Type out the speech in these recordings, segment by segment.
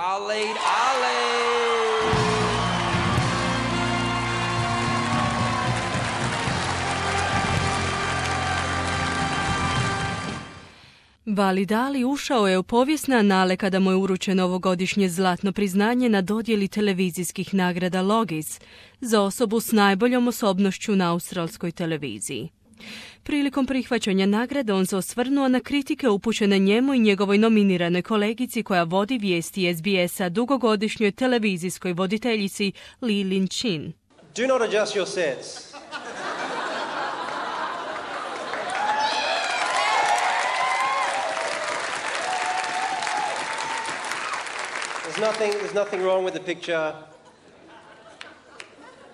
Waleed Ali. Waleed Ali ušao je u povijesne anale kada mu je uručeno ovogodišnje zlatno priznanje na dodjeli televizijskih nagrada Logis za osobu s najboljom osobnošću na australskoj televiziji. Prilikom prihvaćanja nagrade on se osvrnuo na kritike upućene njemu i njegovoj nominiranoj kolegici koja vodi vijesti SBS-a, dugogodišnjoj televizijskoj voditeljici Lee-Lin Chin. Do not adjust your sets. There's nothing wrong with the picture.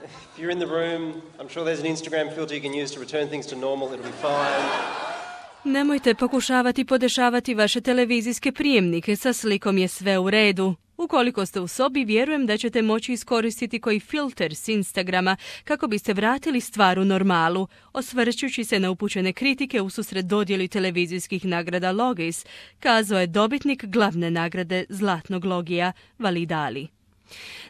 If you're in the room, I'm sure there's an Instagram filter you can use to return things to normal. It'll be fine. Nemojte pokušavati podešavati vaše televizijske prijemnike, sa slikom je sve u redu. Ukoliko ste u sobi, vjerujem da ćete moći iskoristiti koji filter s Instagrama kako biste vratili stvar u normalu, osvrćući se na upućene kritike ususret dodjeli televizijskih nagrada Logis, kazao je dobitnik glavne nagrade Zlatnog logija Waleed Ali.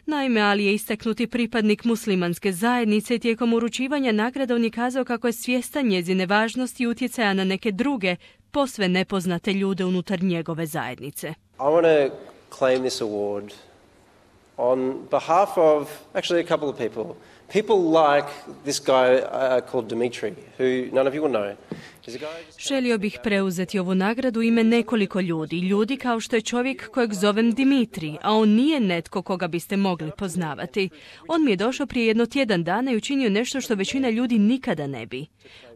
Naime, Ali je istaknuti pripadnik muslimanske zajednice i tijekom uručivanja nagrada on je kazao kako je svjestan njezine važnosti i utjecaja na neke druge, posve nepoznate ljude unutar njegove zajednice. I want to claim this award on behalf of actually a couple of people. People like this guy called Dimitri, who none of you will know. Želio bih preuzeti ovu nagradu ime nekoliko ljudi kao što je čovjek kojeg zovem Dimitri, a on nije netko koga biste mogli poznavati. On mi je došao prije jedno tjedan dana i učinio nešto što većina ljudi nikada ne bi.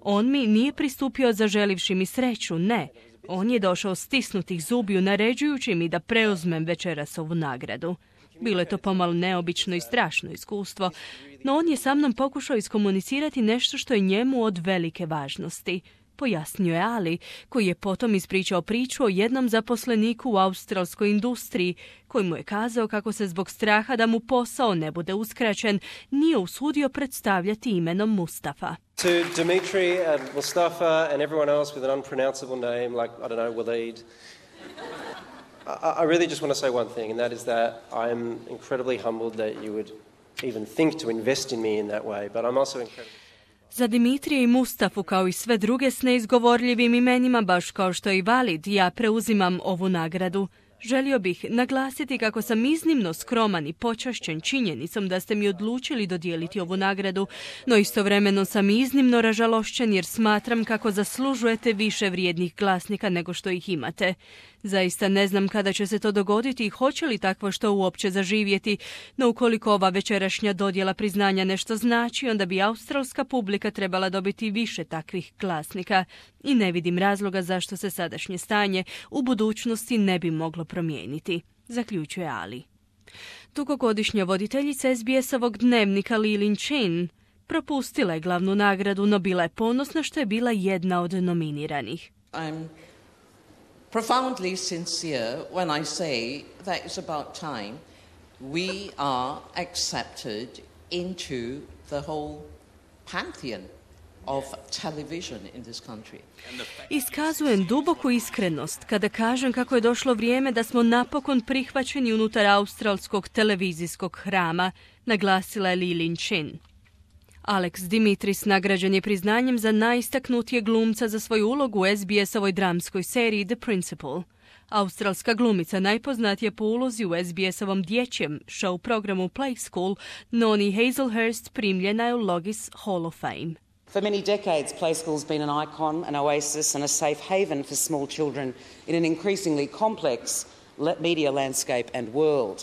On mi nije pristupio zaželivši mi sreću, ne. On je došao stisnutih zubiju naređujući mi da preuzmem večeras ovu nagradu. Bilo je to pomalo neobično i strašno iskustvo, no on je sa mnom pokušao iskomunicirati nešto što je njemu od velike važnosti. Pojasnio je Ali, koji je potom ispričao priču o jednom zaposleniku u australskoj industriji, koji mu je kazao kako se zbog straha da mu posao ne bude uskraćen, nije usudio predstavljati imenom Mustafa. To Dimitri and Mustafa and everyone else with an unpronounceable name like, I don't know, Waleed, I really just want to say one thing, and that is that I'm incredibly humbled that you would even think to invest in me in that way, but I'm also incredibly... Za Dimitrija i Mustafu, kao i sve druge s neizgovorljivim imenima, baš kao što je i Waleed, ja preuzimam ovu nagradu. Želio bih naglasiti kako sam iznimno skroman i počašćen činjenicom da ste mi odlučili dodijeliti ovu nagradu, no istovremeno sam iznimno ražalošćen jer smatram kako zaslužujete više vrijednih glasnika nego što ih imate. Zaista ne znam kada će se to dogoditi i hoće li takvo što uopće zaživjeti, no ukoliko ova večerašnja dodjela priznanja nešto znači, onda bi australska publika trebala dobiti više takvih glasnika i ne vidim razloga zašto se sadašnje stanje u budućnosti ne bi moglo promijeniti, zaključuje Ali. Dugogodišnja voditeljica SBS-ovog dnevnika Lee-Lin Chin propustila je glavnu nagradu, no bila je ponosna što je bila jedna od nominiranih. I'm profoundly sincere when I say that it's about time we are accepted into the whole pantheon of television in this country. Iskazujem duboku iskrenost kada kažem kako je došlo vrijeme da smo napokon prihvaćeni unutar australskog televizijskog hrama, naglasila je Lee-Lin Chin. Alex Dimitris nagrađen je priznanjem za najistaknutijeg glumca za svoju ulogu u SBS-ovoj dramskoj seriji The Principal. Australska glumica najpoznatija po ulozi u SBS-ovom dječjem show programu Play School, Noni Hazlehurst, primljena je u Logis Hall of Fame. For many decades, Play School's been an icon, an oasis and a safe haven for small children in an increasingly complex media landscape and world.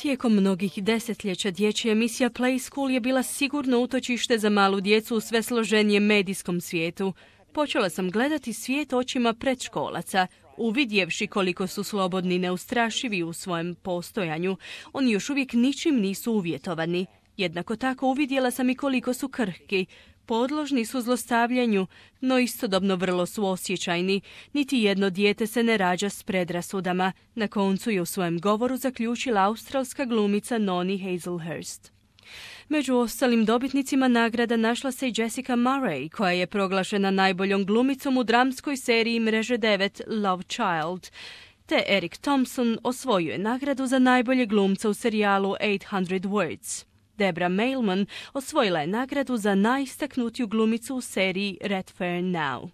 Tijekom mnogih desetljeća dječja emisija Play School je bila sigurno utočište za malu djecu u sve složenijem medijskom svijetu. Počela sam gledati svijet očima predškolaca, uvidjevši koliko su slobodni i neustrašivi u svojem postojanju. Oni još uvijek ničim nisu uvjetovani. Jednako tako uvidjela sam i koliko su krhki. Podložni su zlostavljanju, no istodobno vrlo su osjećajni. Niti jedno dijete se ne rađa s predrasudama. Na koncu je u svojem govoru zaključila australska glumica Noni Hazlehurst. Među ostalim dobitnicima nagrada našla se i Jessica Murray, koja je proglašena najboljom glumicom u dramskoj seriji Mreže 9 Love Child. te Eric Thompson osvojio je nagradu za najbolje glumca u serijalu 800 Words. Debra Mailman osvojila je nagradu za najistaknutiju glumicu u seriji Red Fair Now.